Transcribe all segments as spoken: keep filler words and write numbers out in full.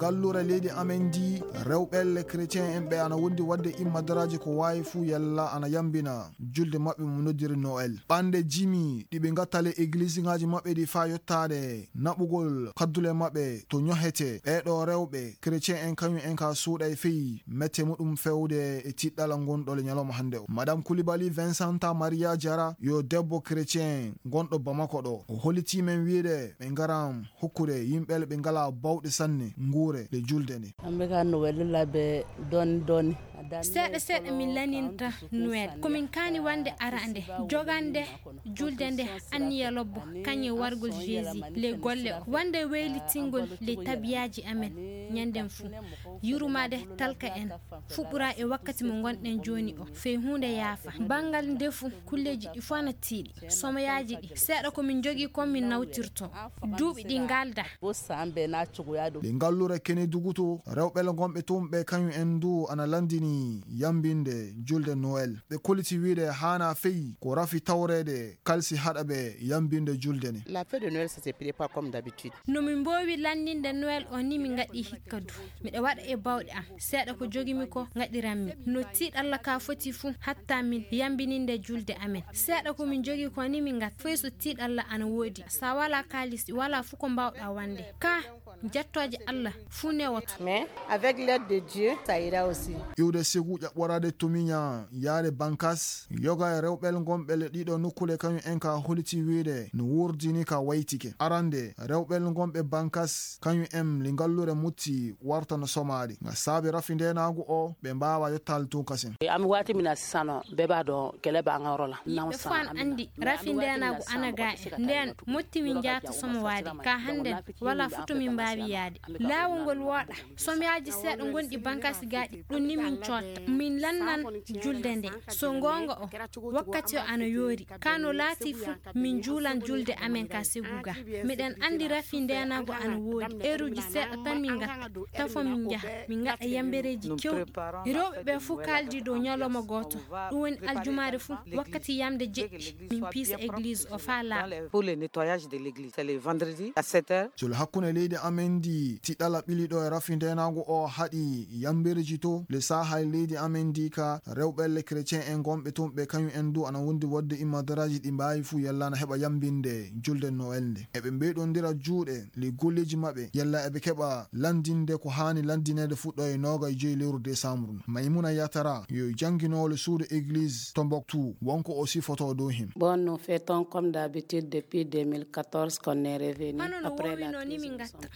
Gallure leydi amen ndi, rewɓe le chrétien en ɓe ana wondi wadde immadaraaji ko waawi fuu yalla ana yambina julde maɓɓe mo noddiri Noël. Ɓande jimi ɗi ɓe ngatta le église ŋaaji maɓɓe ɗi faa yottaade naɓugol kaddule maɓɓe to ñohete. Ɓee ɗoo rewɓe chrétien en kañum en ka suuɗa e feyi mette muɗum fewde e tiɗɗala ngonɗo le ñalawma hannde o. Madame Koulibaly Vincenta Maria Diarra yo debbo chrétien gonɗo Bamako ɗo. O hollitii men wiide ɓe ngaram hokkude yimɓe ɓe ngalaa bawɗe sanne nguure le julde nde. An bɛ ka Noël labɛn dɔɔni dɔɔni. Seeɗa seeɗa min laninta Noël. Ko min kaani wande arande, jogande julde nde anniya lobbo, kañum e wargol Jésus, le golle o. Wande weylitingol le tabiyaaji amen ñanden fuu. Yurmaade talka en fuɗɗora e wakkati mo ngonɗen jooni o, fey huunde yaafa. Banngal ndefu, kulleeji ɗi fof ana tiiɗi. Somoyaaji ɗi, seeɗa ko min njogii kon min nawtirto. Duuɓi ɗi ngalda. Ɗi ngallure kene duguto, rewɓe le ngonɓe tun ɓe kañum en du ana landini yambinde julde Noël. Ɓe kolliti wiide haana fey ko rafi tawreede kalsi haɗa ɓe yambinde julde ne. La fête de Noël, ça se prépare comme d'habitude. No min mboowi lanninde Noël o ni min ngaɗi hikka du. Miɗa waɗa e bawɗe am. Seeɗa ko jogimi ko ngaɗiranmi. No tiiɗalla ka foti fu hatta min yambininde julde amen. Seeɗa ko min jogi ko ni min ngatta. Foy so tiiɗalla ana woodi. Sa wala kaalis, wala fu ko mbawɗa wande. Ka jattooje Allah fu newoto. Mais avec l'aide de Dieu, ça ira aussi. Iwde segu ƴaɓɓoraade to miña yaade bankas, yoga e rewɓel ngonɓe le ɗiɗo nokkule kañum en ka holiti wiide no wurdini ka waytike. Arande, rewɓel ngonɓe bankas kañum en li ngallure mutti warta no somaade. Nga saabi rafi ndenaagu o, ɓe mbaawa yottaali tun kasen. Ami wati mina sisano, beba don kele ba ngaro la. Yimɓe fof ana anndi rafi ndeenaagu ana gaa en. Ndeen motti min njaata somo waade ka hannden, wala foto min mbaawi yaade. Laawol ngol wooɗa. Somyaaji seeɗa ngonɗi bankaasi gaaɗi, ɗum ni min cootta. Min lannan julde nde. So ngoonga o, wakkati o ana yoori. Ka no laati fu, min juulan julde amen ka segu ga. Miɗen anndi rafi ndeenaagu ana woodi. Eeruuji seeɗa tan min ngatta. Tafo min njaha. Min ngaɗa yambereeji kewɗi. Rewɓe ɓe fuu kaaldi dow ñalawma gooto. Ɗum woni aljumaare fuu, wakkati yamde jeɗɗi, min piisa église o faa laaɓa. Pour le nettoyage de l'église, c'est le vendredi à sept heures. Solo hakkunde leydi amen ndi, tiɗɗala ɓili ɗo e rafi ndeenaagu o haɗi yambereeji to le saaha e leydi amen ndi ka rewɓe le chrétien en gonɓe toon ɓe kañum en du ana wondi waɗde immadaraaji ɗi mbaawi fuu yalla ana heɓa yambinde julde Noël nde. Eɓe mbeyɗondira juuɗe le golleeji maɓɓe yalla eɓe keɓa lanndinde ko haani lanndineede fuɗɗo e nooga e joyi lewru décembre. Maymuna Yatara yo jannginoowo le suudu église Tombouctou, wonko o sifoto dow him. Bon, nous fêtons comme d'habitude depuis deux mille quatorze qu'on est revenu. Hono no woowinoo ni min ngatta.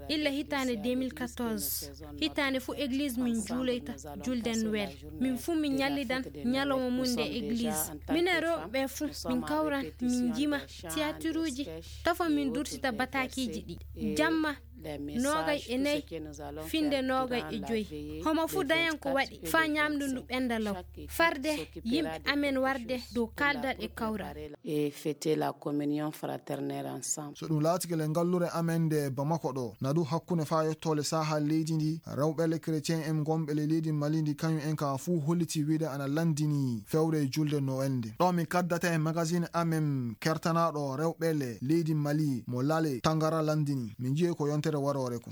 Illa hitaande deux mille quatorze, hitaande fuu église min juuloyta julde Noël. Min fuu min ñallidan ñalawma mum nde église. Minen rewɓe ɓe fuu min kawran min njima tiyatiruuji, tafo min durtita bataakiiji ɗi. Jamma noogay e nayi, finde noogay e joyi. Homo fuu dañan ko waɗi faa ñaamdu ndu ɓenda law. Farde yimɓe amen warde dow kaaldal e kawral. Et fêter la communion fraternelle ensemble. So ɗum laatike le ngallure amen nde Bamako ɗo, na du hakkunde faa yettoole saaha leydi ndi, rewɓe le chrétien en gonɓe le leydi Mali ndi kañum en ka fuu holliti wiide ana lanndini fewre julde Noël nde. Ɗo min kaddata e magazine amen kertanaaɗo rewɓe le leydi Mali mo Lale Tangara lanndini. Min njiye ko yontere waroore ko.